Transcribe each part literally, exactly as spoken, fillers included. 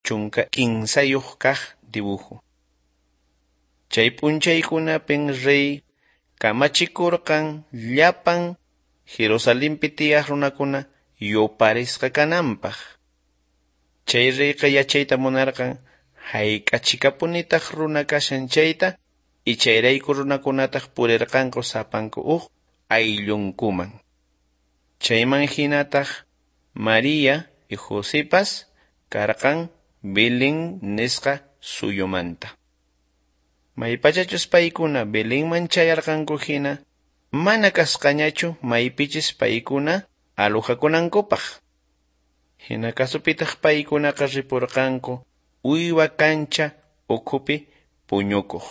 Chunka kinsayuq kaq dibujo. Chay p'unchaykunapin rey kamachikurqan llapan Jerusalenpi tiyaq runakuna yuparisqa kananpaq. Chay reyqa yachayta munarqan hayk'achikapunitaq runa kashan chayta y chayrayku runakunataq purirqanku sapanku huk ayllunkuman. Chayman hinataq María y Josepas karqan Belén nisqa suyumanta. Maypachachus paykuna Belenman chayarqanku hina mana kasqañachu maypichis paykuna alojakunankupaq. Hina kasupitaq paykunaqa ripurqanku uywa kancha ukhupi puñukuq.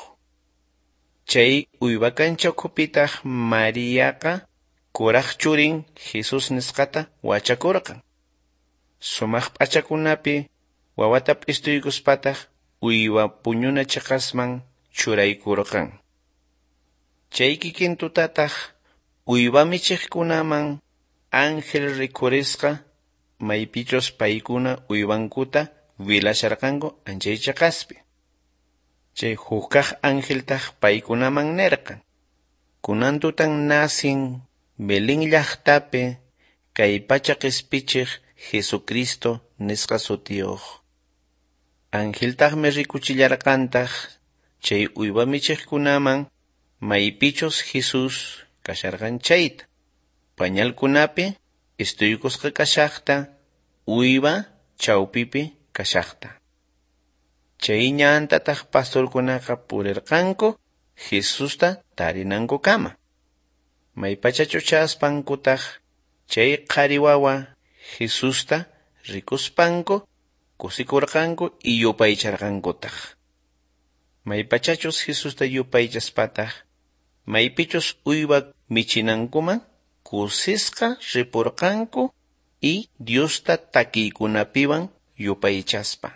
Chay uywa kancha ukhupitaq Mariaqa kuraq churin Jesus nisqata wachakurqan. Sumaq p'achakunapi wawata p'istuykuspataq uywa puñuna chiqasman churaykurqan. Chay kikin tutataq uywa michiqkunaman ángel rikhurisqa maypichus paykuna uywankuta wilasharqanku anchay chiqaspi. Chay hukaq angeltaq paykunaman nirqan: Kunan tutan nacin Belén llaqtapi kay pacha qispichiq Jesucristo nisqa sutiyuq. Angeltaqmi rikuchillarqantaq chay uywa michiqkunaman maypichus Jesús kasharqan chayta. Pañalkunapi istuykusqa kashaqta, uywa chawpipi kashaqta. Chay ñantataq pastorkunaqa purirqanku Jesusta tarinankukama. Maypachachu chaspankutaq chay qhari wawa Jesusta rikuspanku kusikurqanku y yupaycharqankutaq. Maypachachus Jesusta yupaychaspataq maypichus uywa michinankuman kusisqa ripurqanku y Diosta takiykunapiwan yupaychaspa.